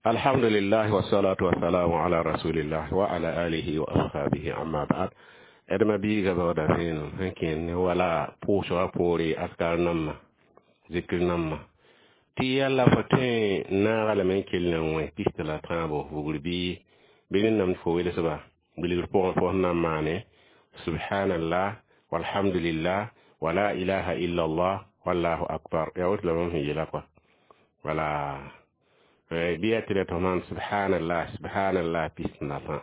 Alhamdulillah wassalatu wassalamu ala rasulillah wa ala alihi wa ashabihi, amma ba'd. Edma biiga baooda vẽenem sẽn kẽer ne wala pʋʋsgã poore askar nambã zikr nambã tɩ yalla fo tõe n naaga lame n kell n wẽ pist la tãabo vugr bɩ bɩ rẽndame tɩ fo welsba bilgr pʋgẽ fo sẽn na n maane subhanallah walhamdulillah wa la ilaha illallah wallahu akbar. Yaa woto la bãmb sẽn yeela kɔa wala bɩ yaa tɩ la tɩ maan subhanallah subhanallah pist la tã,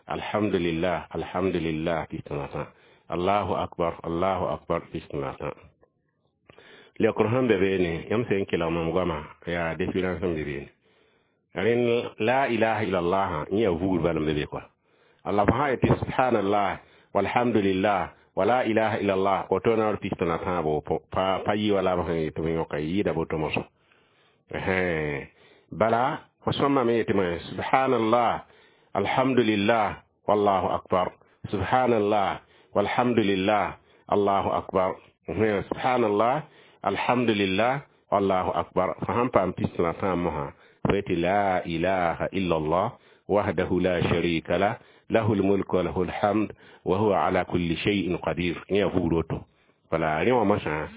alhamdulillah alhamdulillah pist la tã, allahu akbar allahu akbar pist la tã. Leokr sẽn be beene yãmb sẽn kelg mam goama yaa différence sẽn be beene. Rẽnd la ilaha illallah yẽ yaa vugr bala n be be kɔa. Allah fo sã yetɩ subhanallah walhamdulillah wa la ilaha illallah woto na r pist la tãabo pa yɩ wala b sẽn yetɩ b yõka yɩɩda boto mosã. Bala fo sõmame yetɩ me subhanallah alhamdulillah wallahu akbar, subhanallah walhamdulillah allahu akbar, subhanallah alhamdulillah wallahu akbar. Fo sãn paam pist la tãab mosã fo yetɩ la ilaha illallah wahdahu la sharika lah lahu lmulk wa lahu lhamd wa huwa ala kulli shay'in qadir. Yẽ yaa vugr woto. Wala rẽ wã mosã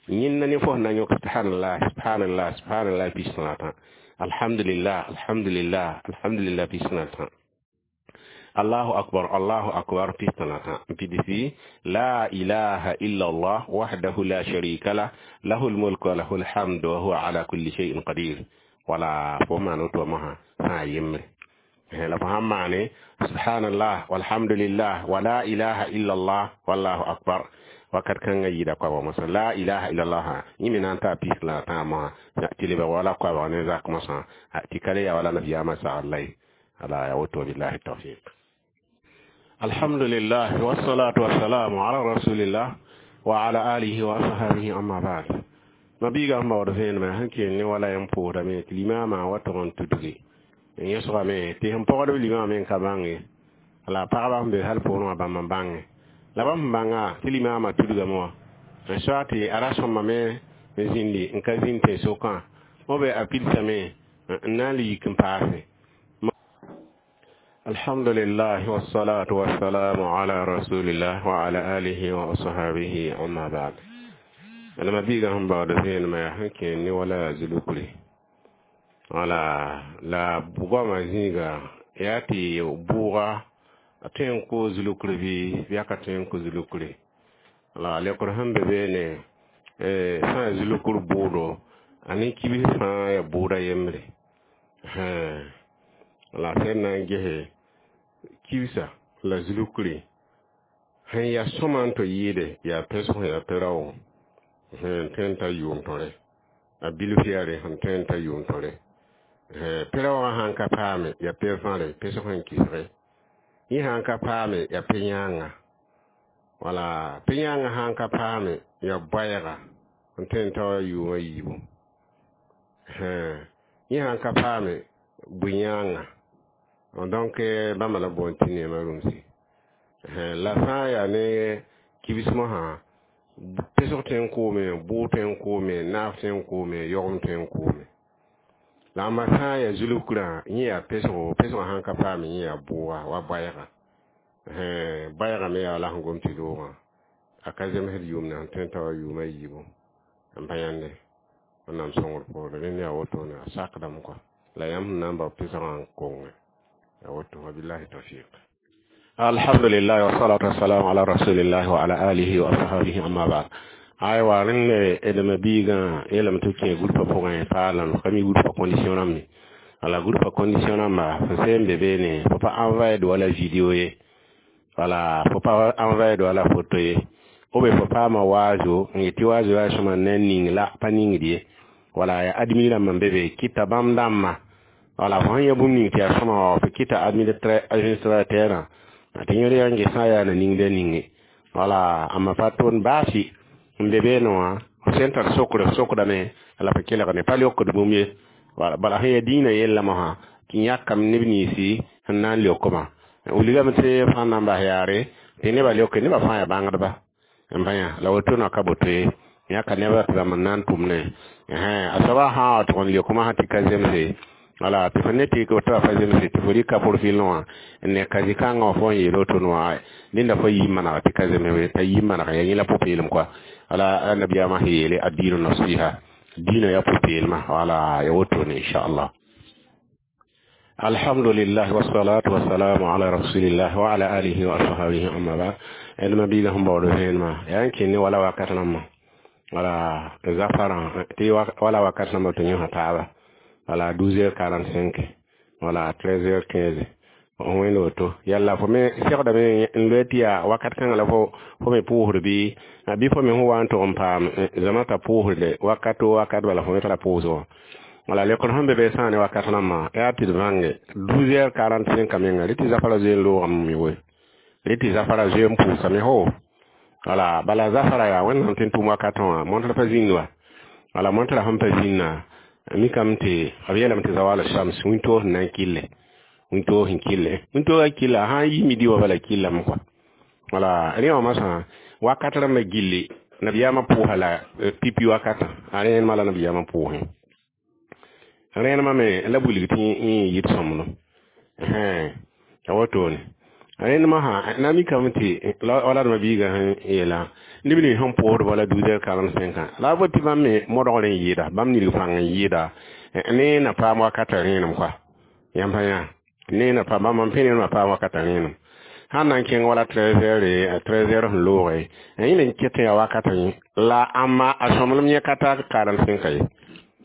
yẽnda ne fo sẽn na n yõk subhanallah subhanallah subhanallah pist la tã, alhamdulillah alhamdulillah alhamdulillah pist la tã, allahu akbar allahu akbar pist la tã, n pidsi la ilaha illallah wahdahu la sharika lah lahu lmulk wa lahu lhamd wa huwa ala kulli shay'in qadir. Wala fo maan woto mosã sã n yembre la fo sãn maane subhanallah walhamdulillah wa la ilaha illallah wallahu akbar wakat kãngã yɩɩda koabg mosã la ilaha illallah yẽ me na n taa pis la tãag mosã tɩ lebg wala koabg ne zak mosã tɩ ka le yaa wala nabiyaamã sagl la ye. Ala ya woto, billahi tawfiq. Alhamdulillah wassalatu wassalamu ala rasulillah wa ala alihi wa ashabihi, amma ba'd. Mabiiga sẽn baood vẽenemã sẽn kell ne wala yãmb pʋʋsdame tɩ limaamã wa tog n tudge n yẽsgame tɩ sẽn pɔgdb limaamã me n ka bãnge la pagba sẽn be hal poorẽ wã bãmb n bãnge la bãmb sẽn bãnga tɩ limaamã tudgame wã n soa tɩ a ra sõmame n zĩndi n ka zĩnd tẽn-sokã b a pidsame n na n le yik n paase. Alhamdulillah wassalatu wassalamu ala rasulillah wa ala alihi wa ashabihi, amma ba'd. Alama biiga sẽn baood vẽenemã yaa sẽn kẽer ne wala zulukre wala la goamã zĩiga yaa tɩ bʋʋga a tõe n koo zulukre bɩ yaa ka tõe n kõ zulukre. La leokr sẽn be beene sã n zulukr bʋʋdo a ne kibs fãa yaa bʋʋda yembre. La sẽn na n gese kibsa la zulukre sẽn yaa sõma n tɩ yɩɩde yaa pesg yaa pe-raoog sẽn tõe n ta yʋʋm tõre a bilf yaare sẽn tõe n ta yʋʋm tõre pe-raoogã sãn ka paame yaa pe-vãre pesg sẽn kisge yẽ sãn ka paame yaa pe-yãanga wala pe-yãangã sãn ka paame yaa baɛɛga n tõe n ta wa yʋʋmã yiibu yẽ sãn ka paame bʋ-yãanga. Donc bãmba la boond tɩ neemã rũmsi la sã n yaa ne kibs mosã pesg tõe n koome, bʋʋg tõe n koome, naaf tõe n koome, yogem tõe n koome. La ãmba sã n yaa zulukrã yẽ yaa pesgo, pesgã sãn ka paame yẽ yaa bʋʋga wa baɛɛga, baɛɛgã me yaa la sẽn gom tɩ loogã a ka zemsd yʋʋm na sẽn tõe n ta wa yʋʋmã yiibu n pa yãnde. Wẽnnaam sõngr poore rẽnd yaa wotone a sakdame kɔa la yãmb sẽn na n bao pesgã n konge yaa woto. Wabillahi tawfiq. Alhamdulillah wassalatu wassalamu ala rasulillah wa ala alihi wa ashabihi, amma ba'd. Aywa rẽnd edma biigã yeelame tɩ b kẽ groupe pʋgẽ paalam ka mi groupe condition rãmb wala groupe condition rãmba fo sẽn be beene fo pa envoyer wala video ye wala fo pa envoyer wala photo ye ou bien fo paama waazo n yetɩ waazo yaa sõma ne ning la pa ningd ye wala ya admin rãmb n be be kɩta bãmb dãmbã wala fo sẽn yã bũmb ning tɩ yaa sõma wa fo kɩta administrateur tɩ yẽr yaa n ges sã yaa na ningda ninge wala amma pa tõnd baasi n be beene wã sẽn tar sokre sokdame la fo kelg ne pa leokd bũmb ye wala bala sẽn yaa dĩinã yella mosã tɩ yãkame neb ninsi sẽn na n leokmã wilgame tɩ fãa na n bas yaare tɩ nebã leoke nebã fãa yaa bãngdba n bã yã la woto na ka boto ye yãka nebã tɩ bãmb n na n tʋmne a soabã sã wa tʋg n leok mosã tɩ ka zemse. Wala tɩ fo ne tɩ tɩ fa zemse tɩ fo rɩka profil wã n ne ka zĩ-kãngã wã fo n yeel woto wã nenda fo yi maneg tɩ ka zemse t'a yi maneg ya yẽ la pʋ-peelem kɔa. Wala nabiyaamã sẽn yeele ad-diinu nasiha, dĩinã yaa pʋ-peelmã. Wala ya wotone, inchallah. Alhamdulillah, wassalatu wassalamu ala rasulillah wa ala alihi wa ashabihi, amma ba'd. D ma biiga sẽn baood vẽenemã yaa n kẽne wala wakat rãmbã, wala zafarã tɩ wala wakat rãmbã tɩ yõsa taaba, wala 12h45, wala 13h15 wẽnd woto. Yalla fo me segdame n loe tɩ yaa wakat kãngã la fo me pʋʋsd bɩ fo me sẽn wa n tog n paam zãma t'a pʋʋsde wakat o wakat bala fo me tara pʋʋsg wã. Wala lekr sẽn be be sã ne wakat rãmbã yaa tɩ d bãnge 12h45 menga rɩ tɩ zafara zoe n loogame me woe, rɩ tɩ zafara zoe n pʋʋsame ho. Wala bala zafara yaa Wẽnnaam tɩ n tʋm wakatã wã montrã pa zĩnd wa. Wala montrã sẽn pa zĩnna mikame tɩ b yeelame tɩ zawal shams, wĩntoog sẽn na n kɩlle, wĩntoog sẽn kɩlle, wĩntoogã kɩlla sã n yi midi wa bala kɩllame kɔa. Wala rẽ wã masã wakat rãmbã gilli nabiyaamã pʋʋsa la pipi wakatã a rẽenemã la nabiyaamã pʋʋsẽ rẽenemã me la wilg tɩ yẽ yɩt sõmblem a wotone. Rẽndmã sã na mikame tɩ wala d ma-biigã sẽn yeela neb nins sẽn pʋʋsd wala 12h45 la a bot tɩ bãmb me modgr n yɩɩda, bãmb nilg pãng n yɩɩda ne na paam wakata rẽenem kɔa. Yãmb pa yã ne na paam bãmb pẽ ne paam wakata rẽenem sãn na n kẽng wala 13h, 13h sẽn looge yẽ n ket yaa wakata yẽ la ãmba a sõmblem yẽ ka ta 45 ye,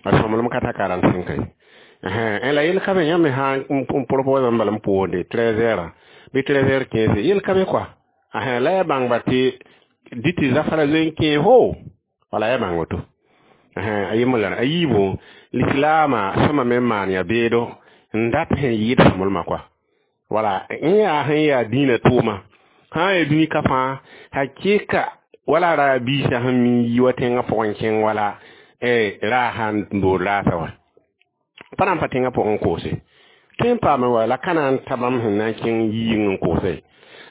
a sõmblem ka ta 45 ye. La yel ka be yãmb me sã n propose n bala n pʋʋsde 13h bɩ 13h15, yel ka be kɔa. La ya bãngba tɩ dɩ tɩ zafara zoe n kẽe fo, wala ya bãng woto a yembr la a yiibu. Lislaamã sõma me n maan yaa beedo n dat sẽn yɩɩd sõmblmã kɔa. Wala yẽ yaa sẽn yaa dĩinã tʋʋma sã n yaa dũni ka fãa hakɩka wala ra biisã sẽn mi yi wa tẽngã pʋgẽ kẽng wala raa sãn n dood raasa wa pa na n pa tẽngã pʋgẽ koose tõe n paame wa la ka na n ta bãmb sẽn na n kẽng yɩɩng n koose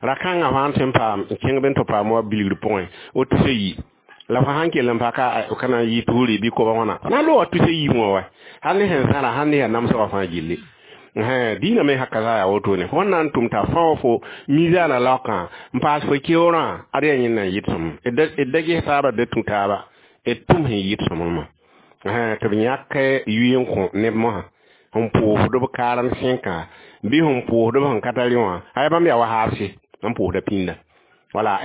ra-kãngã fãa tõe n paam n kẽng b n tɩ paam wa bilgr pʋgẽ o tusa yi la fo sãn kell n pa ka ka na n yɩ tuuri bɩ koba wãna na n looga tusa yiib wã wa hal ne sẽn zãra hal ne yaa namsgã fãa gilli. Dĩinã me haka za yaa wotone fo na n tʋm t'a fão fo mizaanã laokã n paas fo keoorã ad yaa yẽnd na n yɩt sõm d da ges taaba da tũ taaba d tʋm sẽn yɩt sõmblmã tɩ b yãk yʋɩ n kõ neb mosã sẽn pʋʋsd b 45 bɩ sẽn pʋʋsd b sẽn ka tar wã aya bãmb yaa wa haabse n pʋʋsda pĩnda. Wala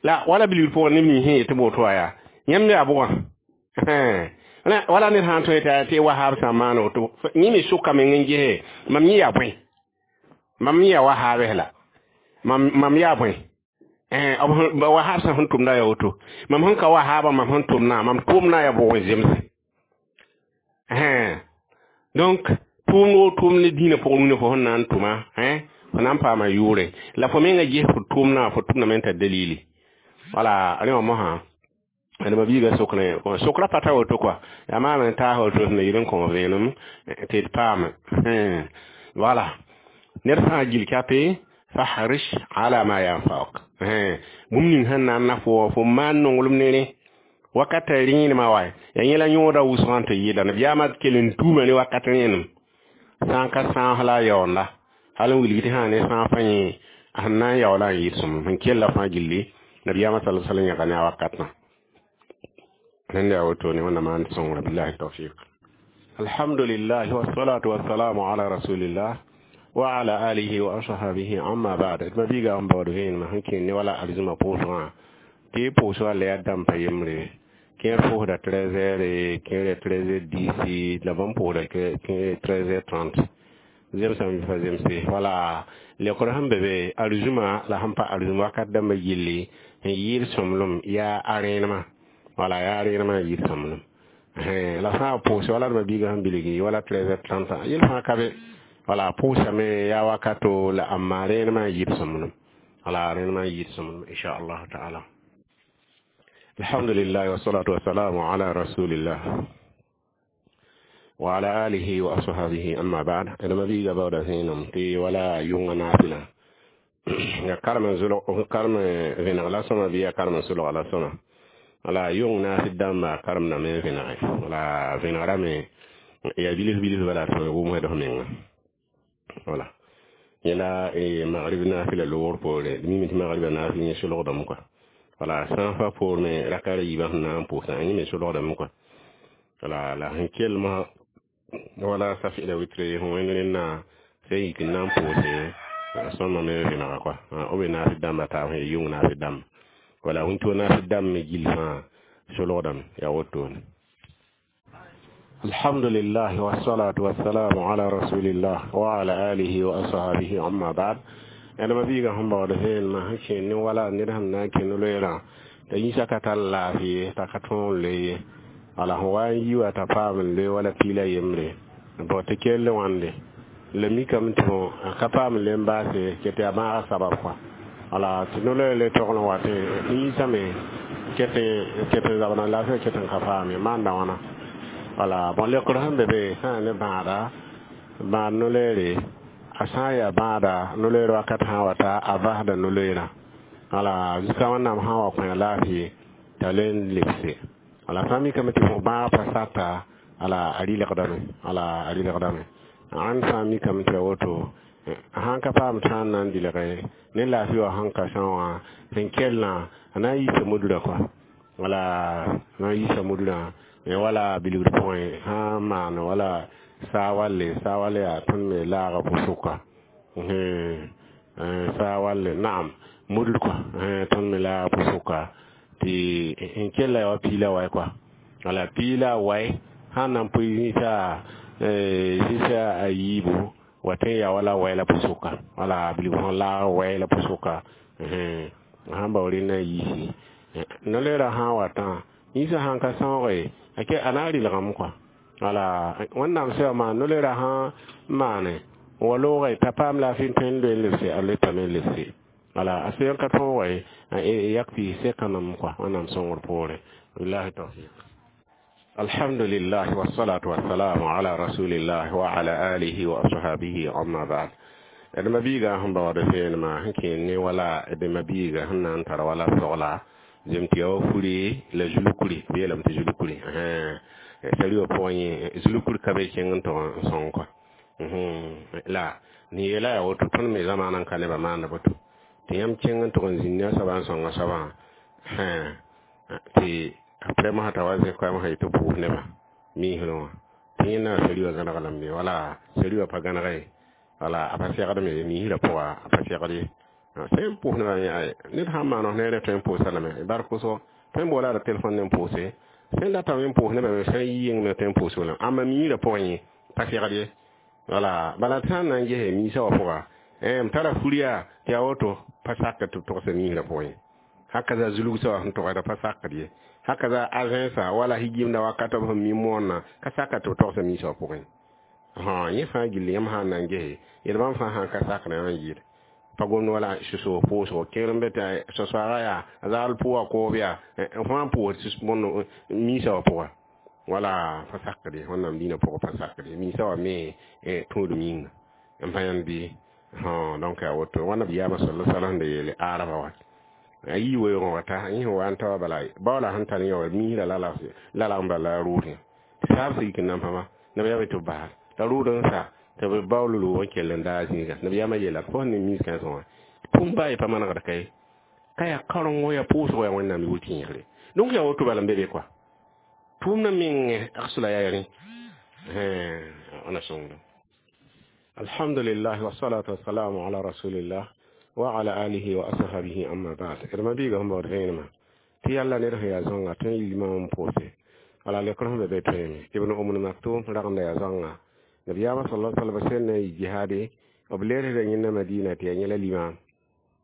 la wala bilgr pʋgẽ neb nins sẽn yet tɩ boto wa yaa yãmb yaa bʋgã wala ned sã n tõe tɩ wa haab sã n maan woto yẽ me sʋka meng n gese mam yẽ yaa bõe, mam yẽ yaa wa haabs la mam yaa bõe wa haab sã sẽn tʋmda yaa woto mam sẽn ka wa haabã mam sẽn tʋmna mam tʋʋmna yaa bʋg n zemse. Donc tʋʋmd o tʋʋmd ne dĩinã pʋgẽ rũnã fo sẽn na n tʋma fo na n paama yʋʋre la fo menga ges fo tʋʋmnã fo tʋmdame n tar dalili. Wala rẽ wã mosã d ma biiga sokre sokra pa ta woto kɔa yaa maam n taas woto sẽn na yɩl n kõ vẽenem tɩ d paame. Wala ned fãa gil kape fahrish ala ma yanfauk bũmb ning sẽn na n na fo fo maan nonglem ne rẽ wakata rẽenemã wa yaa yẽ la yõoda wʋsgã tɩ yɩɩda nabiyaamã kell n tuuma ne wakat rẽenem sã n ka sãas la a yaoonda hal n wilg tɩ sã ne sãag fa yẽ sẽn na n yaoola n yɩɩd sõmblem sẽn kella fãa gilli nabiyaamã sala sallam yãga ne a wakatã rẽnd yaa wotone. Wẽnnaam maan sõngra, billahi tawfiq. Alhamdulillah, wassalatu wassalamu ala rasulillah wa ala alihi wa ashabihi, amma ba'd. D ma biiga n baood vẽenemã sẽn kẽnd ne wala arzũmã pʋʋsgã tɩ pʋʋsgã la yaa dãmb pa yembre kẽer pʋʋsda 13h, kẽer 13h10, la bãmb pʋʋsda kẽer 13h30 zemsame bɩ pa zemse. Wala lekr sẽn be be arzũmã la sẽn pa arzũm wakat dãmbã gilli sẽn yɩɩd sõmblem yaa a rẽenemã, wala yaa rẽenemã n yɩɩd sõmblem la sã n pʋʋse wala d ma biigã sẽn bilgi wala 13h30 yel fãa ka be. Wala pʋʋsame yaa wakato la ãmma rẽenemã n yɩɩd sõmblem, wala rẽenemã n yɩɩd sõmblem, inchallah taala. Alhamdulillah, wassalatu wassalamu ala rasulillah wa ala alihi wa ashabihi, amma ba'd. D ma biiga baooda vẽenem tɩ wala yʋngã naafɩlã ya karem zulg karem vẽneg la sõma bɩ ya karem sulga la sõma. Wala yʋng naasɩ dãmba karemdame n vẽnege wala vẽnegrame. Yaa bilf bilf bala tɩ wʋm wɛd f menga. Wala yẽla magrib naafɩla loogr poore, d mime tɩ magribã naafɩl yẽ solgdame kɔa. Wala sã n fa poor me raka ra yiibã sẽn na n pʋʋsã, yẽ me solgdame kɔa. Wala la sẽn kelmã wala safi la witre sẽn wẽnd rẽnna sẽn yik n na n pʋʋse sõma me vẽnega kɔa. B be naafɩ dãmbã taab sẽn yʋng naafɩ dãmba. Wala wĩnto naafɩ dãmb me gill fãa solgdame yaa wotone. الحمد لله والصلاة والسلام على رسول الله وعلى آله وأصحابه أما بعد. أنا ما بيجا هم بعد فين ما هشين ولا نرهم ناكن لويرا تيسا كتلا في تكتون لي على هو يوا تفهم لي ولا بيلا يمري بوتكيل وانلي لمي كم تو كفام لمباسي كتيا ما سبب على تنولي لتغلو واتي نيسا مي كتي كتي زبنا لا في كتن كفامي ما عندنا. Wala bon lekr sẽn be be sã n ne bãada bãad no-loeere, a sã n yaa bãada no-loeer wakat sã n wata a vasda no-loeerã. Wala zuka Wẽnnaam sã n wa kõ a laafɩ t'a le n lebse. Wala sã n mikame tɩ fo bãag pa sata, ala a rɩlgdame, ala a rɩlgdame. Ãnd sã n mikame tɩ a woto sãn ka paam tã n na n dɩlge ne laafɩ wã sẽn ka sã wã sẽn kellã, a na n yiisa mudrã kɔa. Wala na n yiisa mudrã wala bilgr pʋgẽ sã n maan wala saa walle, saa walle yaa tõnd me laaga pʋsʋka saa walle naam mudr kɔa, tõnd me laaga pʋsʋka tɩ n kella yaa wa piila waɛ kɔa. Wala piila waɛ sãn na n pʋɩ zĩsa a yiibu wa tõe n yaa wala waɛ la pʋsʋka. Wala bilg sẽn laag waɛ la pʋsʋka sãn bao rẽndã yiisi no-loeerã sã n watã yĩsã sãn ka sãooge ake a na n rɩlgame kɔa. Wala Wẽnnaam sẽn maan no-loeerã sã n maane n wa loogã t'a paam laafɩ n tõe n loe n lebse, a loetame n lebse. Wala a sẽn ka tõoge yak tɩ sekame kɔa Wẽnnaam sõngr poorẽ. Billahi tawfiq. الحمد لله والصلاة والسلام على رسول الله وعلى آله وأصحابه أما بعد. d ma biiga sẽn baood vẽenemã sẽn kẽer ne wala d ma biiga sẽn na n tar wala sogla zem tɩ yaa wa furi la zulukuri b yeelame tɩ zulukuri sari wã pʋgẽ yẽ zulukuri ka be kẽng n tog n sõng kɔa. La ne yeela yaa woto tõnd me zamaanã n ka nebã maanda boto tɩ yãmb kẽng n tog n zĩnd ne a soabã n sõng a soabã tɩ après mosã t'a wa zẽ koɛɛm sã yetɩ pʋʋs nebã miisrẽ wã tɩ yẽ na sari wã gãneg lame wala sari wã pa gãneg ye wala a pa segdme ye miisrã pʋga a pa segd ye sẽn pʋʋs nebã ned sãn maan f neere tõe n pʋʋsa lame bar kʋsgo tõe n boola ra telefon ne n pʋʋse sẽn datame n pʋʋs nebã me sã n yi yeng me tõe n pʋʋs lame ãmba miisrã pʋgẽ yẽ pa segd ye. Wala bala tɩ sãn na n gese miisã wã pʋga m tara furiya tɩ yaa woto pa sak tɩ b togsa miisrã pʋgẽ hakaza zulugsa wã sẽn togda pa sakd ye hakaza agẽnsa wala higimda wakat b sẽn mi moonna ka saka tɩ b togsa miisã wã pʋgẽ. Yẽ fãa gilli yãmb sã n na n gese yel bãmb fãa sãn ka sakdã n yɩɩd pa gomd wala sʋsg pʋʋsgo kẽer n be tɩ soaga yaa a zagl pʋʋga koob yaa fãa pʋʋs bõnd miisã wã pʋga wala pa sakd ye Wẽnnaam diinã pʋgẽ pa sakd ye miisã wã me tũudum yĩnga n pa yãnd bɩ. Donc yaa woto wãnda b yaama sala sala sẽn da yeele araba wa a yii weoogẽ wata yẽ sẽn wa n ta wa bala baoola sẽn tar yẽ wa miisrã lalg n bala la rʋʋdẽ tɩ saab sig n nan pãma nabiyaam tɩ b bas t'a rʋʋd n sa tɩ b baool loog n kell n daa zĩiga nabiyaamã yeela fo sẽn ne miis kãensẽ wã pʋm baa ye pa manegd ka ye ka yaa karengo yaa pʋʋsgo yaa Wẽnnaam yʋʋr tẽegre. Donc yaa woto bala n be be kɔa tʋʋmdã meng agsla yaa rẽ wãna sõngda. الحمد لله والصلاة والسلام على رسول الله وعلى آله وأصحابه أما بعد. ما بيغا هم بعد ما تي الله نره يا زونغا تن يلما بوسي على لكرهم بيتين ابن أم مكتوم رغم يا زونغا نبي صلى الله عليه وسلم جهادي وبلير رين مدينة تي نيلا ليمان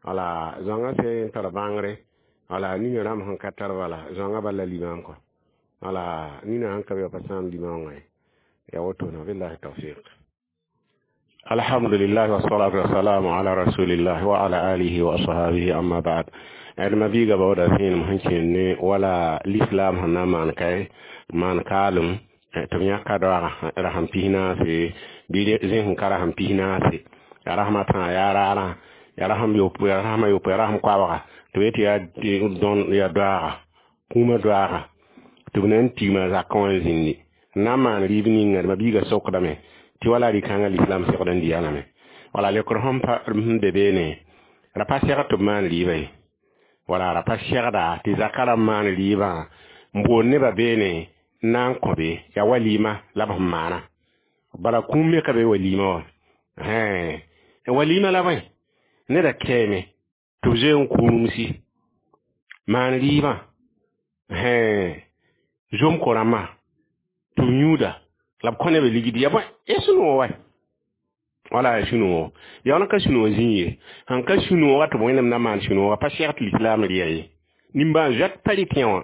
على زونغا سي تر بانغري على ني رام هن كتر ولا زونغا بلا ليمان كو على ني هن كبي بسام ليمان يا وتونا بالله التوفيق. الحمد لله والصلاة والسلام على رسول الله وعلى آله وأصحابه أما بعد. ما بيغا بودا فين مهنشين ولا الإسلام هنا مان كاي مان كالم تميا كدوا رحم بينا في بيدي زين كرحم بينا في يا رحمة يا رارا يا رحم يوب يا رحم يوب يا رحم كوا تويت يا دون يا دوا كوما دوا تبنن تيما زاكون زيني Na n maan rɩɩb ninga ma biiga sokdame tɩ wala rɩ-kãngã l'islam segd n dɩ lame. Wala leokr sẽn be beene ra pa segd tɩ b maan rɩɩbã ye. Wala ra pa segda tɩ zaka rãmb maan rɩɩbã n boond nebã beene n na n kõ be yaa walima la b sẽn maana. Bala kũum me ka be walima wã. Walima la bõe neda kɛɛme tɩ b zoe n kũumsi maan rɩɩbã zom ko-rãmbã tɩ b yũuda la b kõ nebã ligd ya bõe ya sũ-noog wa. Wala ya sũ-noogo yaool n ka sũ-noog zĩig ye sẽn ka sũ-noogã tɩ b wẽnnaam na maan sũ-noogã pa segd tɩ lislaam rɩa ye. Nimbãan zoɛt pa rɩ tẽ wã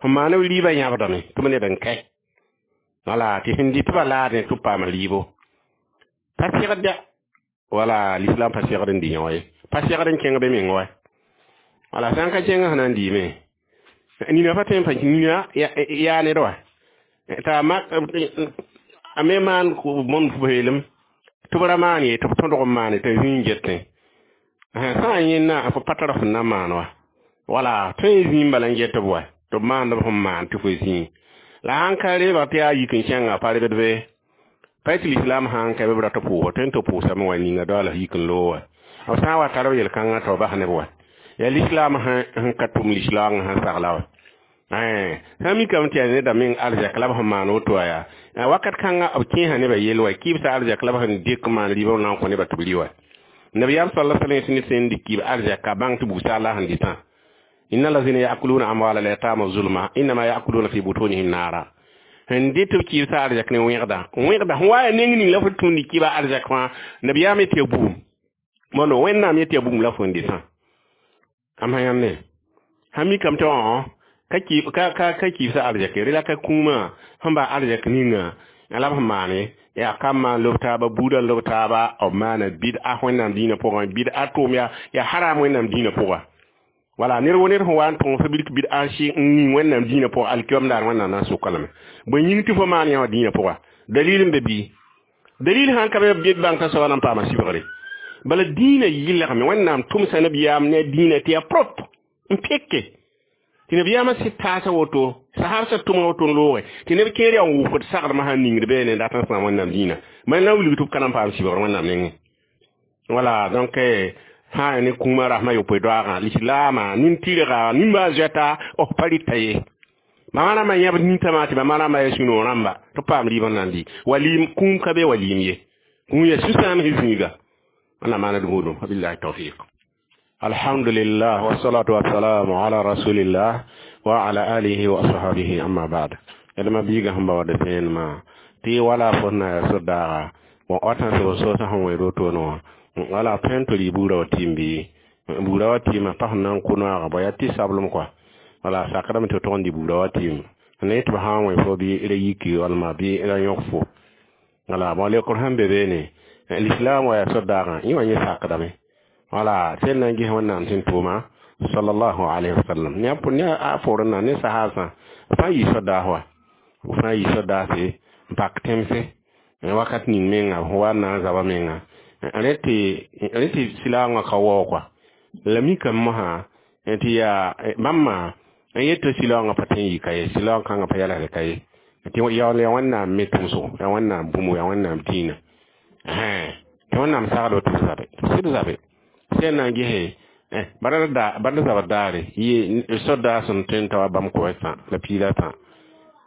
sẽn maan b rɩɩbã yãbdame tɩ b ned n kae. Wala tɩ sẽn dɩt bã laadẽ tɩ b paam rɩɩbo pa segd ya. Wala l'islam pa segd n dɩ yõ ye. Pa segd n kẽng be meng wa. Wala sã n ka kẽng sẽn na n dɩɩme nina pa tõe n pa nina yaa ned wa t'a a me maan bõmb peelem tɩ b ra maan ye tɩ b tõdg n maane t'a zĩig getẽ sã n yẽnna fo pa tar sẽn na maan wa. Wala tõe n zĩig bala n get b wa tɩ b maand b sẽn maan tɩ fo zĩig la sãn ka reebg tɩ yaa yik n kẽnga pa rebd be pa tɩ l'islam sãn ka b rat pʋʋsa tõe n tɩ pʋʋsame wa ninga daoala yik n loog wa. B sã n wa tar b yel-kãngã tɩ b bas neb wa. Yaa l'islam sẽn ka tʋm l'islam sẽn sagla wa. Sã n mikame tɩ yaa neda meng arzɛk la b sẽn maan woto wa yaa wakat kãnga b kẽesa nebã yell wa kɩɩbsã arzɛk la b sẽn dɩk maan rɩɩbã na n kõ nebã tɩ b rɩ wa. Nabiyaam sala sallam tɩ ned sẽn dɩk kɩɩb arzɛka bãng tɩ bugsã la sẽn dɩtã. Inna lazina yakuluna amwala al-yatama zulma innama yakuluna fi butunihim nara. Sẽn dɩt b kɩɩbsã arzɛk ne wẽgda wẽgda sẽn wa yaa neng ning la fo tũud kɩɩba arzɛk fãa nabiyaam yetɩ yaa bugum mondo wẽnnaam yetɩ yaa bugum la fo n dɩtã am sã yãmb ne sã mikame tɩ ka ka kɩɩbsã arzɛk ye la ka kũumã sẽn ba arzɛk ninga la b sẽn maane yaa kam maan lob taaba buudã lob taaba b maana bɩd-a wẽnnaam dĩinã pʋgẽ bɩd-a tʋʋm yaa haram wẽnnaam dĩinã pʋga. Wala ned wo ned sẽn wa n tõog fo bilk bɩd-a n ning wẽnnaam dĩinã pʋga alkiom daar wẽnnaam na n soka lame. Bõe yĩng tɩ fo maan yã wã dĩinã pʋga dalil n be bɩ dalil sãn ka be bãng t'a soaba na n paama sɩbgre bala dĩinã yɩlgme wẽnnaam tʋmsa nabiyaam ne a dĩinã tɩ yaa propre n peke tɩ nabiyaamã sɩd taasa woto sahabsã tʋma woto n looge tɩ neb kẽer yaa n wʋkd sagdmã sãn ningd beene dat n sãam wẽnnaam dĩinã ma na n wilg tɩ b ka na n paam sɩbgr wẽnnaam nengẽ. Wala donc sã ne kũumã rasmã yopoe doaagã lislaamã nin-tɩrga nimbã zoɛta b pa rɩta ye. Mama rãmbã yãbd nintãmã tɩ mama rãmbã yaa sũ-noog rãmba tɩ b paam rɩɩb n na n dɩ walim kũum ka be walim ye. Kũum yaa sũ-sãam sẽn zĩiga wẽnnaam maana d buudum wabillahi tawfiq. Alhamdulillah wassalatu wassalamu ala rasulillah wa ala alihi wa ashabihi amma ba'd. Yadma biiga sẽn ba wa d sẽenmã tɩ wala fo na yaa sor-daaga bõn wata n seb soosã sẽn wẽ rotoone wã wala tõe n tɩ rɩ buurã wa tɩɩm bɩ buurã wa tɩɩmã pa sẽn na n kʋ noaagã bõ yaa tɩ sablem kɔa wala sakdame tɩ tʋg n dɩ buurã wa tɩɩm ne tɩ b sã n wẽ fo bɩ ra yiki walma bɩ ra yõk fo wala bõn leokr sẽn be beene l'islam wa yaa sor-daagã yẽ wã yẽ sakdame wala sẽn na n ges wẽnnaam sẽn tʋʋma sallallahu alayhi wasallam ne a forẽ na ne sahaasã fãa yɩ sor-daas wa fãa yɩ sor-daase n pak tẽmse wakat ning menga sẽn wa n na n zaba menga rẽ tɩ silaagã ka waoog kɔa la mikame mosã tɩ yaa bãmba n yet tɩ silaoongã pa tõe n yɩ ka ye silaoong kãngã pa yɛlsd ka ye tɩ yaool yaa wẽnnaam me tʋmsgo yaa wẽnnaam bũmb yaa wẽnnaam dĩinã tɩ wẽnnaam sagdo tɩ b zabe tɩ b sɩd zabe sẽn na n gese bala zabr daare yɩ sor-daas sẽn tõe n ta wa bãmb kʋɛsã la piila tã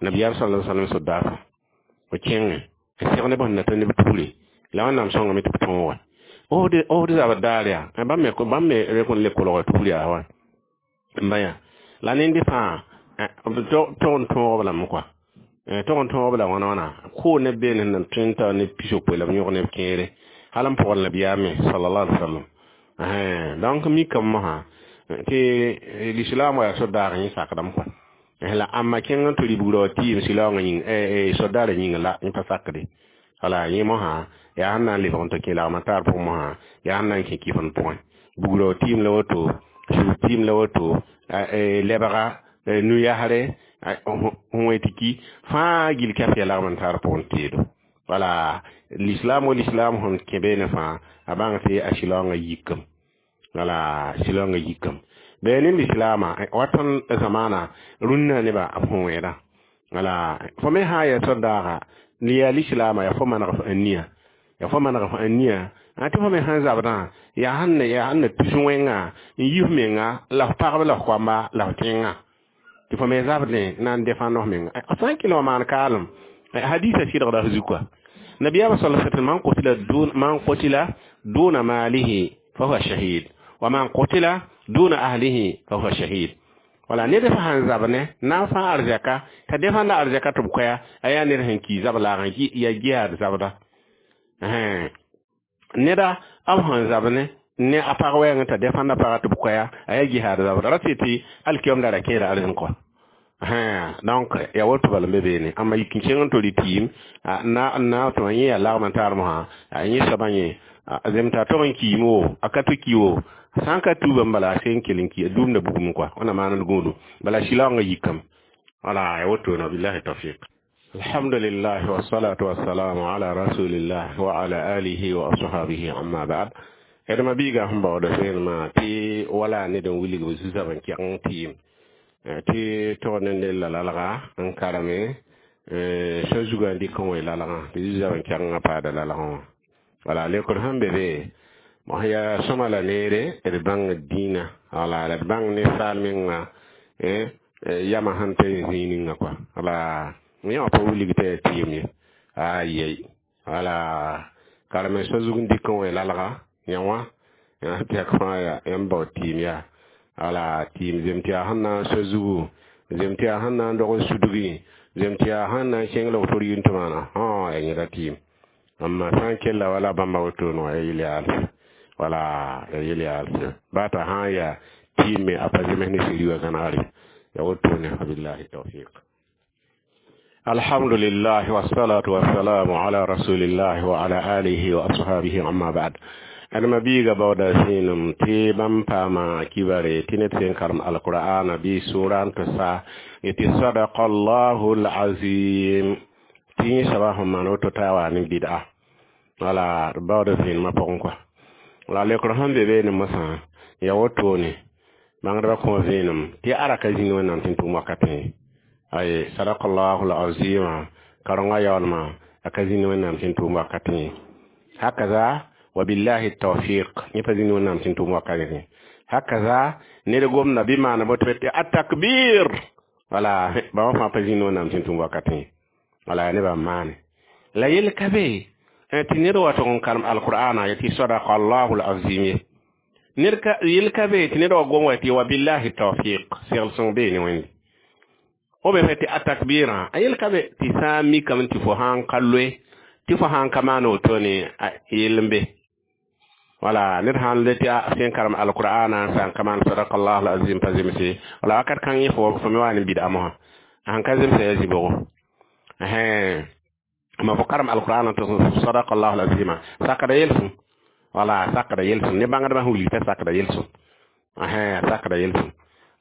nabiyaam sala sallam sor-daasã b kẽngẽ n seg neb sẽn na ta neb tuure la wẽnnaam sõngame tɩ b tõog wa osd zabr daar yaa bãmb me rek n le kolga tuur yaa wa n ba yã la nende fãa b tog n tõog b lame kɔa tog n tõog b la wãna wãna koo neb beene sẽn na tõe n ta neb pisopoe la b yõg neb kẽere hal n pʋgd nabiyaam me sallallahu alaihi wasallam. Donc mikame mosã tɩ l'islam wa yaa sor-daag yẽ sakdame kɔa la ãmba kẽng n tɩ rɩ buurã wa tɩɩm silaoongã yĩng sor-daarã yĩnga la yẽ pa sakde wala yẽ mosã yaa sẽn na n lebg n tɩ kẽ lagmã taar pʋgẽ mosã yaa sẽn na n kẽ kɩfend pʋgẽ buurã wa tɩɩm la woto sug tɩɩm la woto lebga nu-yasre sẽn wẽ tɩ ki fãa gill kɛf yaa lagm n taar pʋgẽ teedo wala l'islam wa l'islam sẽn kẽ beene fãa a bãng tɩ a silaoongã yikame wala silaoongã yikame bɩ ne lislaamã wa tõnd zamaana rũnnã nebã b sẽn wẽeda Wala fo me sã n yaa sor-daaga yaa lislaamã yaa fo maneg f ania, yaa fo maneg f ania tɩ fo me sãn zabdã yaa sẽn na tus wẽnga n yi f menga la f pagb la f koamba la f tẽngã tɩ fo me zabdẽ na n defãnd f menga. Sã n kell wã maan kaalem hadisa sɩdgda f zuka. Nabiyaamã sal sallam, man qutila duna malihi fa huwa shahid wa man qutila duna ahlihi fa huwa shahid. Wala ned fa sãn zab ne na n fã arzɛka t'a defãnda arzɛka tɩ b koɛa, a yaa ned sẽn ki zab laagã yaa jihaad zabda. Neda b sẽn zab ne a pag wɛɛngẽ t'a defãnda pagã tɩ b koɛa, a yaa jihaad zabda ra tɩ tɩ alkiyom da ra kẽeda arzẽn kɔa. Donc ya woto bala n be beene. Ãmba yik n kẽng n tol tɩɩm na tɩ yẽ yaa lagm n taar mosã, a yẽ soabã yẽ zemta tog n kiime wo, a ka tɩ ki wo, sã n ka tuuba n bala a seen kell n ki a duumda bugum kɔa wẽnna maand gũudum bala sɩlaoongã yikame. Wala ya woto na billahi tawfiq. Alhamdulillah wassalatu wassalamu ala rasulillah wa ala alihi wa ashabihi, amma ba'd. Edma biiga sẽn baooda sẽenema tɩ wala ned n wilg b zu-soab n kɛg n tɩɩm tɩ tog ne ned la lalga n karame sã zugã n dɩk n wẽ lalgã tɩ zu-soab n kɛgengã paada lalgã wã. Wala lekr sẽn be be mos yaa sõma la neere d bãng dĩinã, wala la d bãng ninsaal menga yamã sẽn ta zĩig ninga kɔa. Wala yẽ wã pa wilg t'a yaa tɩɩm ye ayɛy. Wala karame sã zug n dɩk n wẽ lalga yã wã tɛk fãa yaa yãmb bao tɩɩm yaa. Wala tɩɩm zem tɩ yaa sẽn na n so zugu, zem tɩ yaa sẽn na n dog n sudgi, zem tɩ yaa sẽn na n kẽng la woto yĩn tɩ maana yaa yẽda tɩɩm. Amma sã n kella wala bãmba wotone wã ya yel yaalse, wala ya yel yaalse baa t'a sã n yaa tɩɩm me a pa zems ne siri wã gãnegre ya wotone. Wabillahi tawfiq. Alhamdulillah wassalatu wassalamu ala rasulillah wa ala alihi wa ashabihi, amma ba'd. Adama biiga baooda zĩenem tɩ bãmb paama kibare tɩ ned sẽn karem alqur'ana bɩ sʋʋra n tɩ sa yetɩ sadaka allahu alazim tɩ yẽ soaba sẽn maan woto t'a waa ne bɩd'a. Wala d baooda zẽenemã pʋgẽ kɔa. La lekr sẽn be beene mosã ya wotone bãngdbã kõ vẽenem tɩ ara ka zĩnd Wẽnnaam tɩ n tʋm wakatẽ ay sadaka allahu alazima karengã yaoolmã a ka zĩnd Wẽnnaam tɩ n tʋm wakatẽ hakaza. Wabillahi tawfiq. Yẽ pa zĩnd Wẽnnaam tɩ n tʋm wakatẽ hakaza. Ned gomda bɩ maana boto tɩ atakbir, wala bãmba fãa pa zĩnd Wẽnnaam tɩ n tʋm wakatẽ. Wala nebã n maane la yel ka be tɩ ned wa tʋg n karem alqur'ana yetɩ sadaka allahu alazim ye ned ka yel ka be tɩ ned wa gom wa tɩ wabillahi tawfiq segl sõng bee ne Wẽnde o be tɩ atakbirã a yel ka be tɩ sã n mikame tɩ fo sã n ka loe tɩ fo sã n ka maan wotone yell n be. Wala ned sãn le tɩ sẽn karem alqur'ana sã n ka maan sadaka allahu alazim pa zemse, wala wakat kãng yẽ fo me wa ne bɩd'a mosã sãn ka zemsa yaa zɩbgo. Ma fo karem alqur'ana tɩ sadaka allahu alazima sakda yelsem, wala sakda yelsem ne bãngdbã sẽn wilg t'a sakda yelsem, sakda yelsem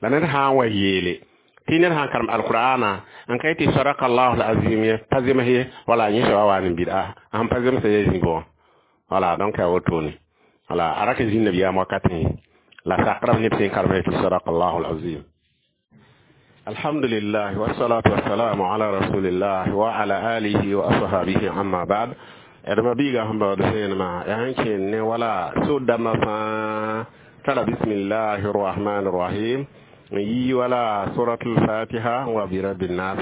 la ned sã n wa yeele tɩ ned sã n karem alqur'ana n ka yetɩ sadaka allahu alazim ye pa zems ye, wala yẽ soaba wa ne bɩd'a sẽn pa zemsa yaa zĩbgã. Wala donc yaa wotone wala a ra tɩ zĩnd nabiyaam wakatẽ la sakra neb sẽn karem tɩ sadaka allahu alazim. Alhamdulillah wassalatu wassalamu ala rasulillah wa ala alihi wa ashabihi, amma ba'd. Adama biiga sẽn baood sẽenema yaa sẽn kẽen ne wala so-dãmbã fãa tara bismillahi rrahmani rrahim n yi wala suratul fatiha wa bi rabbi nas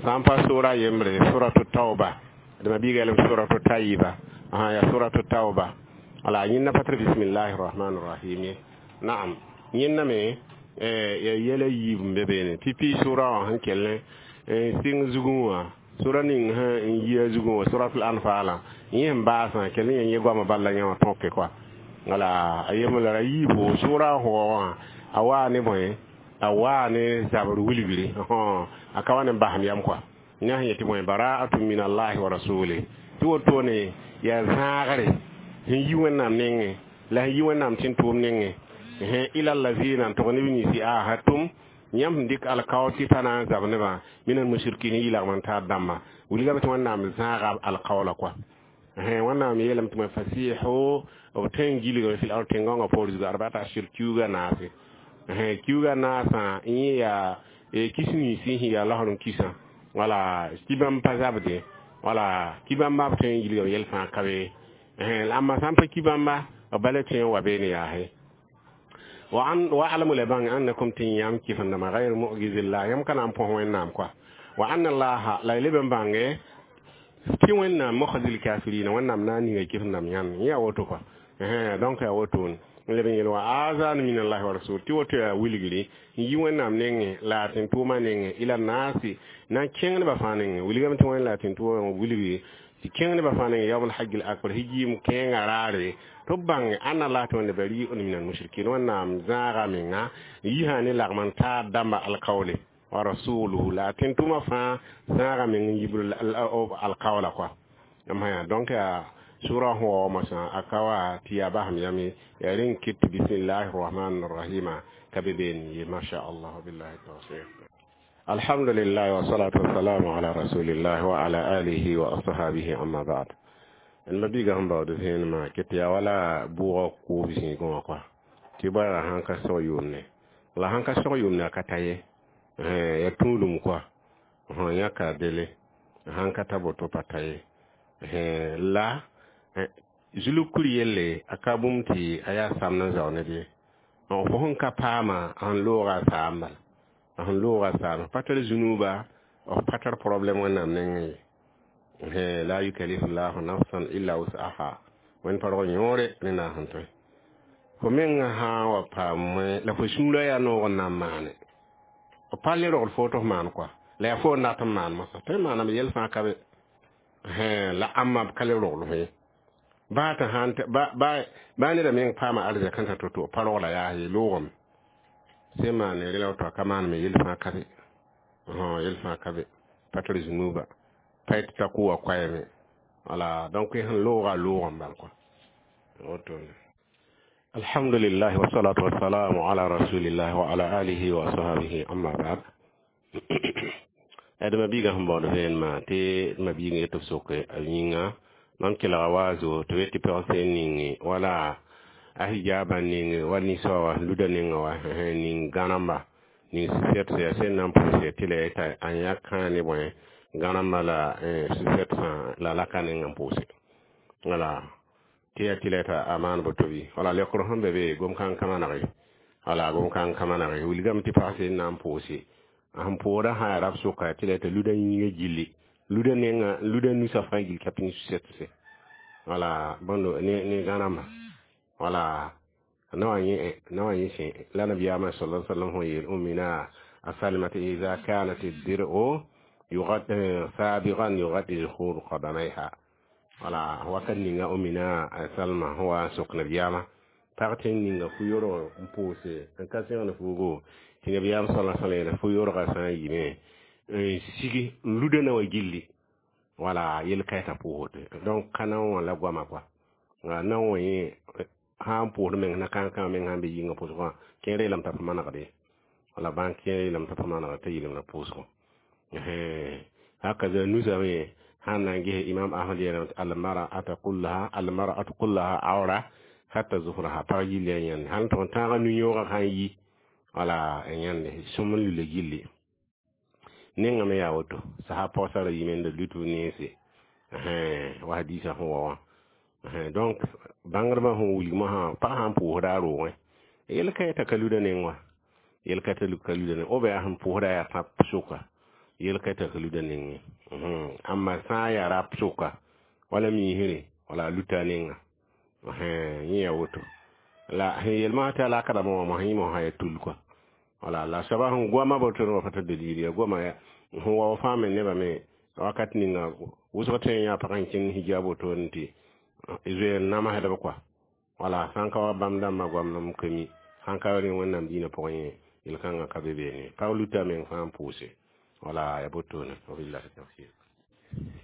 sã n pa sora yembre suratu tauba. Adama biiga yelem suratu tayiba ya suratu tauba. Wala yẽnna pa tar bismillahi rrahmani rrahim ye. Naam, yẽnna me ya yɛla yiib n be beene pipi sʋra wã sẽn kell n sɩng zugẽ wã sʋra ning sẽn n yi a zugẽ wã suratul anfalã yẽ sẽn baasã kell n yẽ goamã bal la yẽ wã tõke kɔa. Wala a yembr la ra yiibo sʋra sʋgã wã a waa ne bõe a waa ne zabr wilgre a ka wa ne basem yam kɔa yã sẽn yetɩ bõe bara'atun min allahi wa rasuli tɩ wotone yaa zãagre sẽn yi Wẽnnaam nengẽ la sẽn yi Wẽnnaam tɩ n tʋʋm nengẽ ila allazina n tʋg neb ninsi ahatum yãmb sẽn dɩk alkao tɩ pa na n zab nebã min almusrikin yɩ lagm n taar dãmba wilgame tɩ Wẽnnaam zãaga alkaoola kɔa. Wẽnnaam yeelame tɩ fasihu b tõe n gilgame fil ard tẽn-gãongã poor zugu arbata ashur kiuga naase kiuga naasã yẽ yaa kis ninsi sẽn yaa laosr n kisã. Wala tɩ bãmb pa zabde, wala ki bãmba b tõe n yilga yɛl fãa ka be. La ãmba sã n pa ki bãmba, b bala tõe n wa beene yaase. Wa alamu la bãng annakum tɩ yãmb kɩfendãmba gayr mu'jizillah, yãmb ka na n põs Wẽnnaam kɔa. Wa anna allaha la y leb n bãnge tɩ Wẽnnaam mukhzil kafirina, Wẽnnaam na n ninga kɩfendãmb yãnd. Yẽ yaa woto kɔa. Donc yaa woto n leb n yel wa azanu min allahi wa rasul, tɩ woto yaa wilgri n yi Wẽnnaam nengẽ la a tẽn-tʋʋmã nengẽ ila naasi, na n kẽng nebã fãa nengẽ. Wilgame tɩ Wẽnd la a tẽn-tʋʋmã wilgri tɩ kẽng nebã fãa nengẽ yaoom alhajj al akbar, hijiim kẽengã raare, tɩ b bãnge ãnna la tɩ Wẽnde bariun min almushrikin. Wẽnnaam zãaga menga n yisã ne lagm n taar dãmba alkaoole wa rasuluhu, la a tẽn-tʋʋmã fãa zãaga meng n yibr alkaoola kɔa. Donc yaa sura sẽn wa mosã a ka wa tɩ yaa basem yame yaa rẽn kɩt tɩ bismillahi rahman rahima ka be been ye, masha allah. Billahi tawfiq. Alhamdulillah wa salatu wassalamu ala rasulillah wa ala alihi wa ashabihi, amma ba'd. N mabiiga sẽn baood vẽenemã ket yaa wala bʋʋgã koob zĩigẽ wã kɔa, tɩ bãra sãn ka sog yʋʋmne, la sãn ka sog yʋʋmne a ka ta ye, yaa tũudum kɔa, yãka dele sãn ka ta boto pa ta ye. La zulug kur yelle a ka bũmb tɩ a yaa samd n zao ned ye. Fo sẽn ka paama sẽn looga a saam bala, a sẽn looga a saam pa tar zũnuuba, f pa tar problème Wẽnnaam nengẽ ye. La yukallifu llahu nafsan illa wus'aha, Wẽnd pa rog yõore rẽnda sẽn tõe. Fo mengã sã n wa paam la fo sũurã yaa noog n na n maane, f pa le rogl fo tɩ f maan kɔa, la yaa fo n dat n maan mosã tõe n maaname yɛl fãa ka be. La ãmba b ka le rogl fo ye, baa tɩ sãn baa neda meng paama arzɛk n ta to-to pa rogla yaa ye loogame sẽn maane rẽ la woto a ka maaneme yel fãa ka be, yel fãa ka be, pa tar zũnuuba pa yetɩ t'a kʋ wa koɛɛme. Wala donc sẽn looga a loogame bal kɔa woto. Alhamdulillah wa salatu wa salamu ala rasulillah wa ala alihi wa ashabihi, amma ba'd. D mabiigã sẽn baood vẽenemã tɩ d mabiig yet b soke a yĩnga mam kelga waazo tɩ b yet tɩ pɛg sẽn ninge wala a hijaba ninge wa ninsã wa luda ninga wa ning gãnamba ning sɩsɛt yaa sẽn na n pʋʋse tɩ la yeta a yãk kãa ne bõe gãnamba la sɩsɛt la laka neng n pʋʋse, wala tɩ yaa tɩ la yeta a maan boto bɩ. Wala lekr sẽn be be gom-kãng ka maneg ye, wala gom-kãng ka maneg ye. Wilgame tɩ pag sẽn na n pʋʋse sẽn pʋʋda sã yaa rab sʋka tɩ la yeta luda yĩngã gilli, luda nenga luda nusã fãa gill ka pĩn sʋsɛtse, wala bõndo ne gãnamba, wala nawa yẽ nawa yẽ sẽ la nabiyaamã sala sallam sẽn yeel ummina asalmata ida kanat dir'u yugad sabigan yugadi zuhur qadamaiha. Wala wakat ninga ummina Salma sẽn wa n sok nabiyaamã pag tɩ n ninga fu-yorg n pʋʋse n ka sẽgd fuugo, tɩ nabiyaam sala sallam yeela fu-yorgã sã n yime n sigi n luda na wa gilli, wala yel ka t'a pʋʋsd. Donc ka na wã la goama kɔa na wã yẽ sã n pʋʋsd meng na kãn-kãng meng sãn be yĩngã pʋsgã wã kẽer yeelame t'a pa manegd ye, wala bãn kẽer yeelame t'a pa manegd t'a yɩlemda pʋʋsgo. Hakaza nusã me sãn na n ges Imam Ahmad yeelame tɩ almar'atu kullaha awra hatta zufraha, pag yilla yãnde sãn tʋg n tãaga nu-yõogã sã n yi, wala yãnde sõm n lula gilli nengã me yaa woto sasa pagsara yime n da lut b nense wa hadisa sẽn wa wã. Donc bãngdbã sẽn wilg mosã pag sã n pʋʋsda a roogẽ yel ka yeta ka luda neng wa, yel ka t'a ka luda neng b yaa sẽn pʋʋsda yaa tãp sʋka, yel ka t'a ka luda nengẽ. Ãmba sã n yaa rap sʋka wala miisre wala a luta a nenga yẽ yaa woto la sẽn yel mosã tɩ a laka rãmbã wã mosã yẽ mosã yaa tul kɔa. Wala la soaba sẽn goama boto wã pa tar dalil ya goama sẽn wa fãa me nebã me wakat ninga wʋsg tõe n yã pag n kẽng hijab wotone tɩ zoeer namsdb kɔa. Wala sãn ka wa bãmb dãmbã goam m ka mi sãn ka rẽ Wẽnnaam dĩinã pʋgẽ yẽ yel-kãngã ka be beene pag luta meng fãa n pʋʋse, wala ya botone. Wabillahi tawfiq.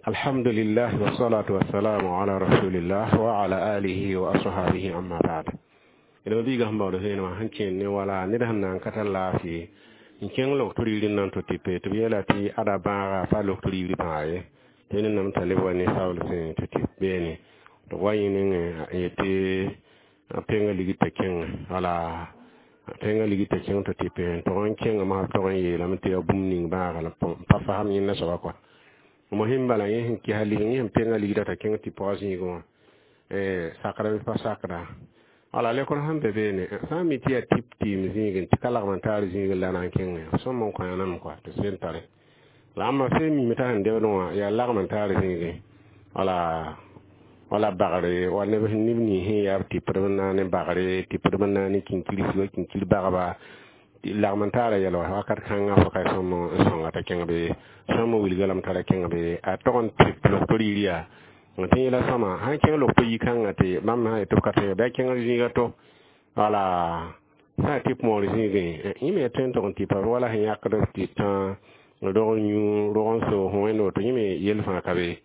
Alhamdulillah wassalatu wassalamu ala rasulillah wa ala alihi wa ashabihi, amma ba'd. D mabiigã sẽn baood vẽenemã sẽn kẽnd ne wala ned sẽn na n ka tar laafɩ n kẽng lok tɩ n na n to tɩ pe tɩ b yeela tɩ ada bãaga pa lok tɩ riir bãag ye, tɩ ned t'a leb wa ne sabl sẽn tɩ tɩ beene tɩ wa yẽ nengẽ n yetɩ a penga ligd t'a kẽngẽ, wala Tẽngã ligi t'a kẽng tɩ tɩpẽ n tog n kẽngame b tog n yeelame tɩ yaa bũmb ning bãaga la pa fasem yẽnda soaba kɔa. Mosẽm bala yẽ sẽn kesa lig, yẽ sẽn penga ligda t'a kẽng tɩ pʋga zĩigẽ wã, sakra bɩ pa sakda. Wala lekr sẽn be beene, sã n mi tɩ yaa tɩp tɩɩm zĩigẽ, tɩ ka lagm n taar zĩigẽ la na n kẽngẽ, sõm n kõ yãnam kɔa tɩ sẽn tare. La ãmba sẽn mime t'a sẽn debdẽ wã yaa lagm n taar zĩigẽ. Wala bagre wa neb neb nins sẽn yaa b tɩpdb n na ne bagre, tɩpdb n na ne kinkirsi wa kinkir bagba, lagm n taara yɛl wã wakat kãngã fo ka sõm n sõnga t'a kẽng be, sõm n wilga lame t'a ra kẽng be, a tog n tɩp logto rɩɩr yaa tɩ yẽla sõma sãn kẽng logto yi-kãngã tɩ bãmb sã yetɩ b ka tõe bɩ a kẽng zĩiga to. Wala sã n tɩp moor zĩigẽ, yẽ me ya tõe n tog n tɩpa wala sẽn yãkd tɩ tã rog n yũ, rog n soog sẽn wẽnd woto, yẽ me yel fãa ka be.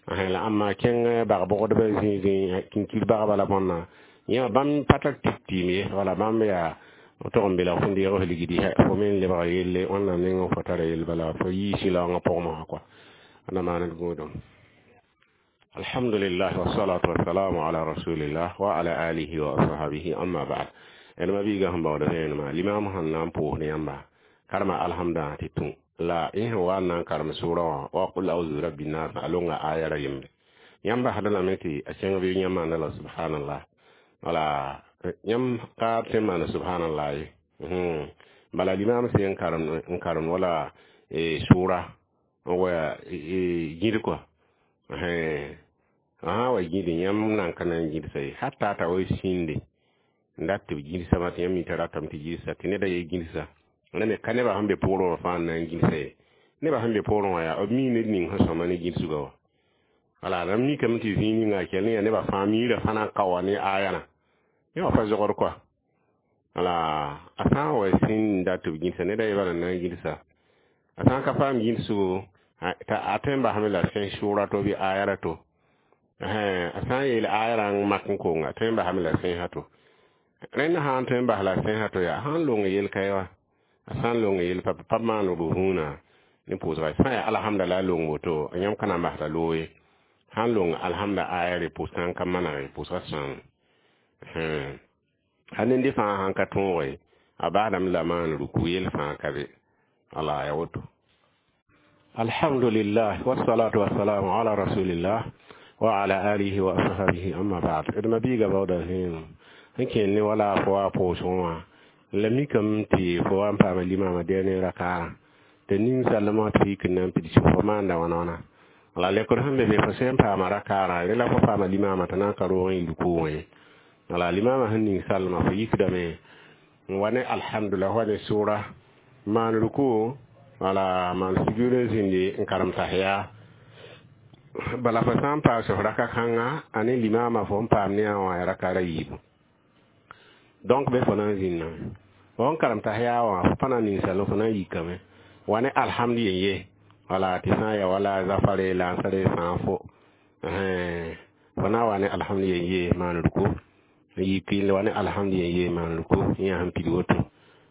La ãmba kẽng bag-bogdbã zĩigẽ, kinkir bagba la bõnna, yẽ bãmb pa tar tɩp tɩɩm ye. Wala bãmb yaa tog n belg fo deeg f ligdi, fo me n lebga yelle wẽnnaam nengẽ, fo tara yell bala fo yii sɩlaoongã pʋgẽ mosã kɔa. Na maand gũudum. Alhamdulillah, wassalatu wassalamu ala rasulillah wa ala alihi wa ashabihi, amma ba'd. D ma-biigã sẽn baood vẽenemã, limam sẽn na n pʋʋsd yãmba karema alhamdã tɩ tũ la yẽ sẽn wa n na n karem sʋʋrã wã wa qul auzu rabbi nas, a longa aya ra yembre. Yãmb basda lame tɩ a kẽng bɩ yãmb maanda la subhanallah. Wala yãmb ka tõe n maana subhanallah ye. Bala limam sẽn n karem wala sʋʋra n wa gĩd kɔa, sã wa gĩd, yãmb nan ka na n gĩdsa ye, hatta t'a wa sĩnde n dat tɩ b gĩdsame tɩ yãmb mi t'a ratame tɩ gĩdsa, tɩ neda ye gĩdsa la me ka nebã sẽn be poorẽ wã fãa n na n gĩdsa ye. Nebã sẽn be poorẽ wã yaa b mii ned ning sẽn sõma ne gĩdsgã wã. Wala rãmb mikame tɩ zĩig ninga kell ne yaa nebã fãa miirã fãa na n ka wa ne ayãna yẽ wã pa zogd kɔa. Wala a sã n wa sĩnd dat tɩ b gĩdsa, neda ye bala n na n gĩdsa, a sã n ka paam gĩdsgo, a tõe n basame la sẽn sʋʋra to bɩ aya to. A sã n yeel aya rã n mak n konga, a tõe n basame la sẽnsã to. Rẽnd sã n tõe n bas la sẽnsã to yaa sã n long yel ka ye wa, a sã n long yel pa maan b vũuna ne pʋʋsga, sã n yaa alhamda la a long woto, yãmb ka na n basda loog ye. Sã n long alhamda aya re, pʋʋsgã n ka maneg, pʋʋsgã sãam. A nende fãa sãn ka tõoge, a basdame la maan ruku, yel fãa ka be. Wala ya woto. Alhamdulillah, wassalatu wassalamu ala rasulillah wa ala alihi wa ashabihi, amma ba'd. D ma-biiga baooda vẽenem sẽn kẽnd ne wala fo wa pʋʋsgẽ wã, la mikame tɩ fo wa n paama limamã dɛɛ ne rakaarã tɩ ning sallmã tɩ yik n na n pids, fo maanda wãna wãna. La lekr sẽn be be, fo sẽn paama rakaarã rẽ la fo paama limamã t'a na n ka roog n yi rukʋ wã ye. Wala limamã sẽn ning sallmã, fo yikdame n wa ne alhamdulillah, wa ne sʋʋra, maan ruku, wala maan sugr n zĩndi n karem tahiya. Bala fo sã n paas f raka kãnga a ne limamã, fo n paam ne a wã ya rakaara yiibu. Donc be fo na n zĩnname fo n karem tahiya wã, fo pa na n ning sallem, fo na n yikame wa ne alhamdu yen ye. Wala tɩ sã n ya wala zafare lansare sã n fo na wa ne alhamdu yen ye, maan ruku, n yik n wa ne alhamdu yen ye, maan ruku, yã sẽn pid woto.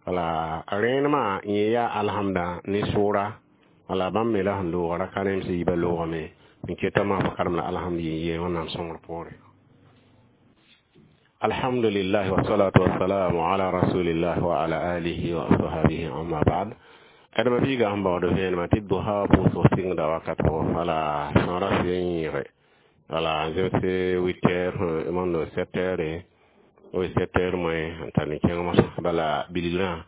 Wala rẽenemã yẽ yaa alhamda ne sʋʋra. Wala bãmb me la sẽn looga raka rẽms yiibã loogame n keta maa fo karem la alhamdu yen ye, Wẽnnaam sõngr poore. Alhamdulillah, wassalatu wassalamu ala rasulillah wa ala alihi wa ashabihi, amma ba'd. D ma-biigã sẽn baood vẽenemã tɩ dosa pʋʋsg sɩngda wakat pʋgẽ, wala sõora sɩ n yẽege, wala n zemse 8 heures, mondo 7 heures, wi 7 heures moins n tar ne kẽng mosã. Bala bilgrã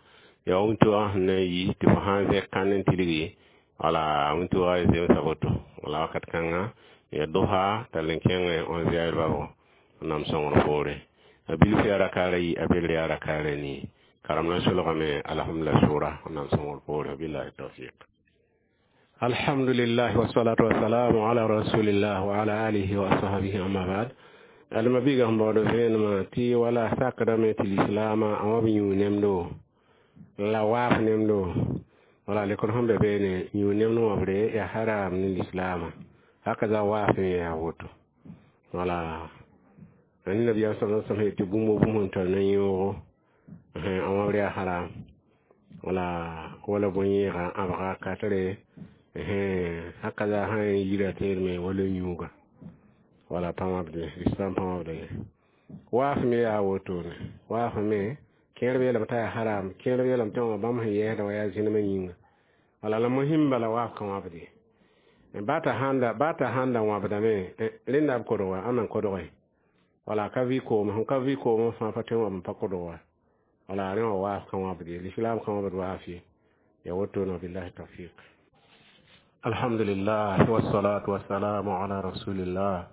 yaa wĩntoogã sẽn na n yi tɩ fo sã n zẽk kãnd n tilgi, wala wĩntoogã zemsa woto. Wala wakat kãngã ya dosa tall n kẽng 11 heures babo, Wẽnnaam sõngr poore. A bilf yaa rakaara yi, a bel yaa rakaara nii, karem na solgame alhamdulillah sʋʋra, Wẽnnaam sõngr poore. Billahi tawfiq. Alhamdulillah, wassalatu wassalamu ala rasulillah wa ala alihi wa ashabihi, amma ba'd. Alma biiga sẽn baood vẽenemã tɩ wala sakdame tɩ lislaamã a wã b yũ nemdo la waaf nemdo. Wala lekr sẽn be beene, yũ nemd wã bre yaa haram ne lislaamã, hakaza waaf n yaa woto. Wala ãn nabiyaam sa sallam yetɩ bũmb o bũmb sẽn tar na yõogo, a wãbr yaa haram. Wala bõn-yẽega ãbga katre, hakaza sã n yira teedme wala yũuga, wala pa wãbde, lislam pa wãbda ye. Waaf me yaa wotone, waaf me kẽng Kẽerb yeelame t'a yaa haram, kẽerb yeelame tɩ wã bãmb sẽn yɛɛsdã wa yaa zẽnemã yĩnga. Wala la mosĩm bala waaf ka wãbd ye. Ba t'a sãn ba t'a sãn da wãbdame, rẽnda b kodg wa, ãnna n kodge. Wala ka vɩ koom, sẽn ka vɩ koomã fãa pa tõe n wa n pa kodg wa. Wala rẽ wã waaf ka wãbd ye, lislaam ka wãbd waaf ye. Ya woto billahi tawfiq. Alhamdulillah wassalatu wassalamu ala rasulillah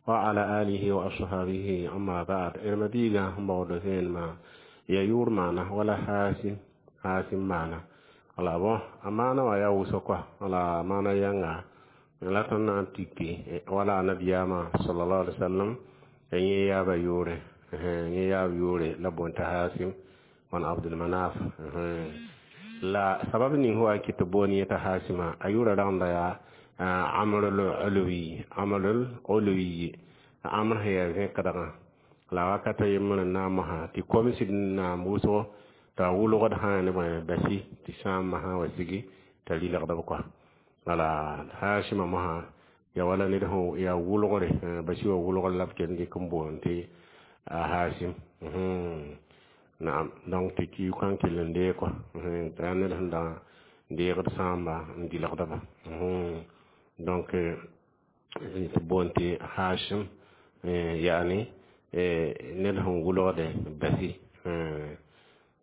wa ala alihi wa ashabihi, amma ba'd. Irma biga mbawdo sen ma ya yur mana wala hasim hasim mana. Wala bon amana wa ya wuso kwa, wala mana yanga la tõnd na n tiki wala nabiyama sallallahu alaihi wasallam yẽ yaaba yʋʋre, yẽ yaab yʋʋre la boon t'a Hasim wan Abdul Manaf. La sabab ning wa kɩ tɩ boon yẽ t'a Hasima, a yʋʋra rãmba yaa Amrul Ulwi, Amrul Ulwi, Amr sẽn yaa zẽkdgã. La wakata yembr n na n mosã tɩ kom sɩd n naam wʋsgo t'a wʋlgd sã ne bõe basi tɩ sãambã sã wa sigi t'a rɩlgd b kɔa. Wala Hasima mosã ya wala ned sẽn yaa wʋlgre, basi wã wʋlgr la b kell dɩk n boond tɩ Hasim. Naam, donc tɩ ki kãn kell n dee kɔa, t'a yaa ned sẽn da deegd sãamba n dɩlgda ba. Donc tɩ boond tɩ Hashim, yaani ned sẽn wʋlgde basi.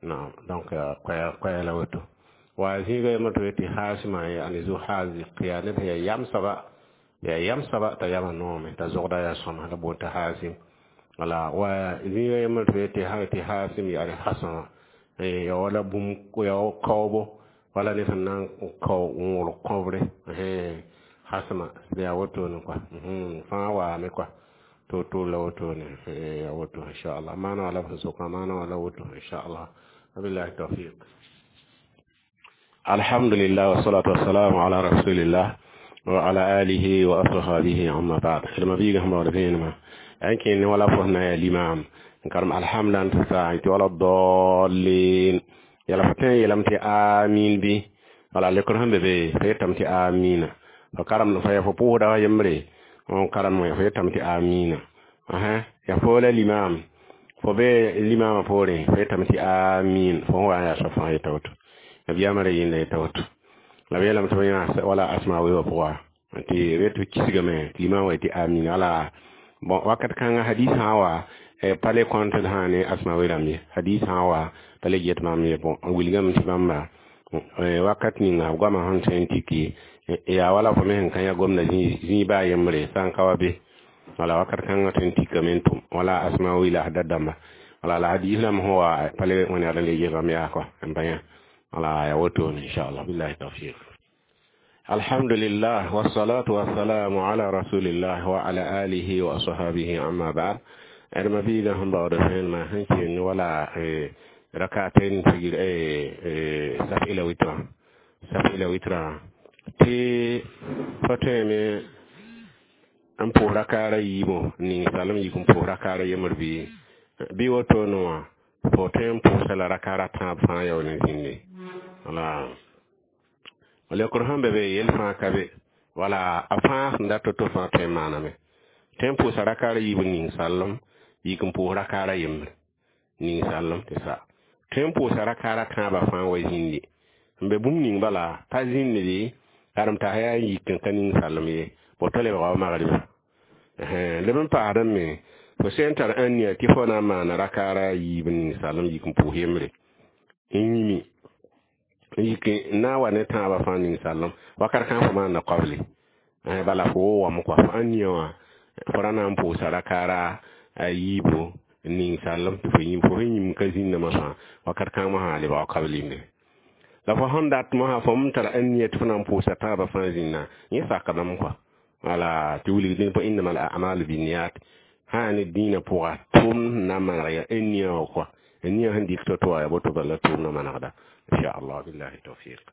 Naam, donc koɛɛ la woto. Wa zĩiga yembr tɩ tɩ Hasima yaani zu haziq, yaa ned sẽn yaa yam soaba, yaa yam soaba t'a yamã noome t'a zogda yaa sõma, la boond t'a Hasim. Wala wa zĩiga yembr tɩ Hasim yaani hasama, ya wala bũmb ya kaoobo, wala ned sẽn na n kao n wʋlg kõbre, hasma yaa wotone kɔa, fãa waame kɔa to-toor la wotone, yaa woto inchallah. Maana wala b sẽn sokã maana wala woto inchallah. Wabillahi tawfiq. Alhamdulillah wassalatu wassalamu ala rasulillah wa ala alihi wa ashabihi, amma ba'd. Ilma biiga sẽn baood vẽenemã n kẽnd ne wala fo sẽn na yaa limam n karem alhamdulillah tɩ sa tɩ wala dallin yala fo tõe n yeelame tɩ amin bɩ. Wala lekr sẽn be be fo yetame tɩ amina, fo karemd fo ya fo pʋʋsda wa yembre n karem fo yetame tɩ amina. Ya fo la limam, fo be limamã poorẽ fo yetame tɩ amin, fo sẽn wa n yaa soab fãa yeta woto. Nabiyamã ra yĩnda yeta woto. La b yeelame tɩ b yã wala asma weoogã pʋga tɩ b yet tɩ kisgame tɩ limam wa tɩ amin. Wala bon wakat kãngã hadis sã wa pa le kõnt d sã ne asma we rãmb ye, hadis sã wa pa le get maam ye. Bon, n wilgame tɩ bãmba wakat ninga b goamã sẽn tõe n tiki yaa wala fo me sẽn ka yã gomda zĩig baa yembre sã n ka wa be. Wala wakat kãngã tõe n tikame n tʋm wala asma wi la da dãmba. Wala la hadis rãmb sẽn wa pa le wẽnegd n le gesgame yaa kɔa n pa yã. Wala ya wotone inchallah, billahi tawfiq. Alhamdulillah wassalatu wassalamu ala rasulillah wa ala alihi wa ashabihi, amma ba'd. Adama biiga sẽn baood vẽenemã sẽn keen wala rakatain figir saf ila witra, saf ila witra tɩ fo tõeme n pʋʋs rakaara yiibõ ning salem yik n pʋʋs rakaara yembr bɩ wotone wã fo tõe n pʋʋsa la rakaara tãab fãa yaool n zĩnde. Wala lekr sẽn be be yel fãa ka be, wala a fãa sẽn dat to-to fãa tõe n maaname, tõe n pʋʋsa rakaara yiib ning sallem yik n pʋʋs rakaara yembre ning sallem tɩ sa tõe n pʋʋsa rakaara tãabã fãa wa zĩndi n be bũmb ning bala pa zĩndde karem t'a yaa n yik n ka ning sallem ye, bo tɩ lebga wa magriba leb n paasdẽ me fo sẽn tar ãnnia tɩ fo na n maana rakaara yiib ning sallem yik n pʋʋs yembre n yĩmi n yik n na n wa ne tãabã fãa ning sallem wakat kãng fo maanda koable, bala fo wo wame kɔa fo ãnnia wã fo ra na n pʋʋsa rakaara yiibo ning sallem tɩ fo yĩm fo sẽn yĩm ka zĩnda mosã wakat kãng mosã lebga wa kablinde. La fo sẽn dat mosã fo m tara ãnnia tɩ fo na n pʋʋsa tãabã fãa zĩnna yẽ sakdame kɔa. Wala tɩ wilgd pʋ innama al a'malu binniyat sã ne dĩinã pʋga tʋʋmd sẽn na n maneg yaa ãnnia wã kɔa, ãnia sẽn dɩk to-to wã yaa boto bala tʋʋmdã manegda inchallah, billahi tawfiq.